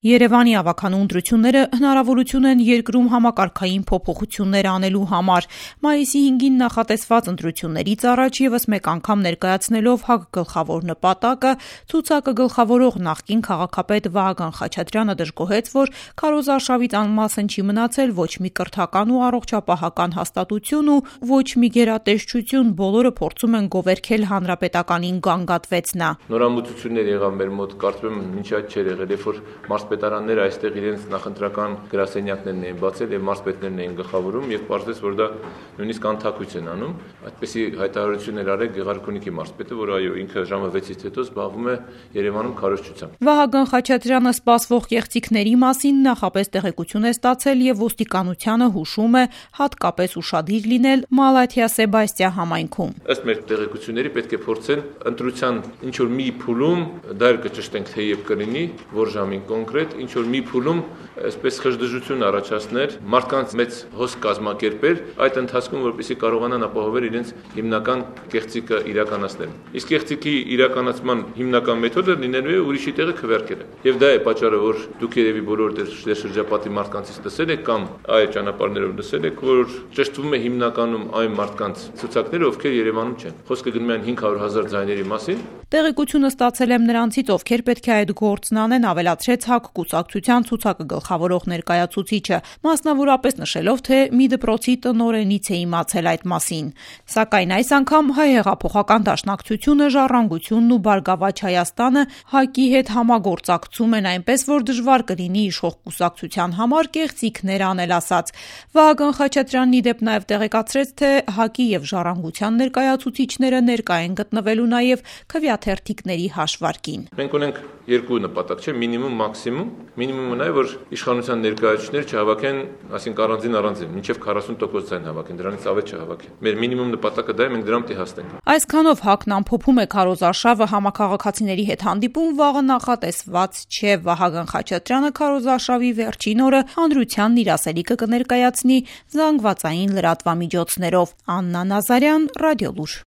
Երևանի ավագանու ընտրությունները հնարավորություն են երկրում համակարգային փոփոխություններ անելու համար։ Մայիսի 5-ին նախատեսված ընտրություններից առաջ ևս մեկ անգամ ներկայացնելով ՀԱԿ գլխավոր նպատակը, ցուցակը գլխավորող նախկին քաղաքապետ Վահագն Խաչատրյանը դժգոհեց, որ քարոզարշավից անմասն չի մնացել ոչ մի կրթական ու առողջապահական հաստատություն ու ոչ մի գերատեսչություն, բոլորը փորձում են գովերգել հանրապետականին, գանգատվեց նա։ Նորամուծություններ եղավ մեր մոտ, կարծում եմ մինչ այդ չէր եղել, երբ որ մարզպետարանները այստեղ իրենց նախընտրական գրասենյակներն էին բացել եւ մարզպետներն էին գլխավորում եւ պարզվեց, որ դա նույնիսկ անթակույց են անում։ Այդպիսի հայտարարություն էր արել Գեղարքունիքի մարզպետը, որ այո, ինքը ժամը 6-ից հետո զբաղվում է Երևանում քարոզչությամբ։ Վահագն Խաչատրյանը սպասվող կեղծիքների մասին նախապես տեղեկություն է ստացել եւ ոստիկանությանը հուշում է հատկապես ուշադիր լինել Մալաթիա-Սեբաստիա համայնքում։ Ըստ մեր տեղեկությունների պետք է փորձեն ընտրության ինչ որ մի փուլում, դա կճշտենք թե երբ կլինի, որ ժամին կոնկրետ ինչ որ մի փուլում այսպես խժդժություն առաջացներ, մարդկանց մեծ հոսք կազմակերպել այդ ընթացքում, որպեսզի կարողանան ապահովել իրենց հիմնական կեղծիքը իրականացնել։ Իսկ կեղծիքի իրականացման հիմնական մեթոդը լինելու է ուրիշի տեղը քվեարկելը։ Եվ դա է պատճառը, որ դուք երևի բոլոր շրջապատի մարդկանցից լսել եք կամ այլ ճանապարհներով լսել եք, որ ճշտվում է հիմնականում այն մարդկանց ցուցակները, ովքեր Երևանում չեն։ Խոսքը գնում է 500,000 ձայների մասին։ Տեղեկությունը ստացել եմ նրանցից, ովքեր պետք է այդ գործն անեն, ավելացրեց ՀԱԿ կուսակցության ցուցակը գլխավորող ներկայացուցիչը, մասնավորապես նշելով, թե մի դպրոցի տնօրենից է իմացել այդ մասին։ Սակայն այս անգամ Հայ հեղափոխական դաշնակցությունը, Ժառանգությունն ու Բարգավաճ Հայաստանը ՀԱԿ-ի հետ համագործակցում են այնպես, որ դժվար կլինի իշխող կուսակցության համար կեղծիքներ անել, ասաց։ Վահագն Խաչատրյանն ի դեպ նաև տեղեկացրեց, թե ՀԱԿ-ի եւ Ժառանգության ներկայացուցիչները ներկա են գտնվելու նաև քվեաթերթիկների հաշվարկին։ Մենք ունենք երկու նպատակ, չէ, մինիմում, մաքսիմում։ Մինիմումը նա է, որ իշխանության ներկայացուցիչները չհավաքեն, ասենք առանձին, մինչև 40% ձայն հավաքեն, դրանից ավել չհավաքեն։ Մեր մինիմում նպատակը դա է, մենք դրան պետք է հասնենք։ Այսքանով ՀԱԿ-ն ամփոփում է քարոզարշավը համակարգացիների հետ հանդիպում վաղը նախատեսված չէ։ Վահագն Խաչատրյանը քարոզարշավի վերջին օրը հանրությանն իր ասելիքը կներկայացնի զանգվածային լրատվամիջոցներով։ Աննա Նազարյան, Ռադիոլուր։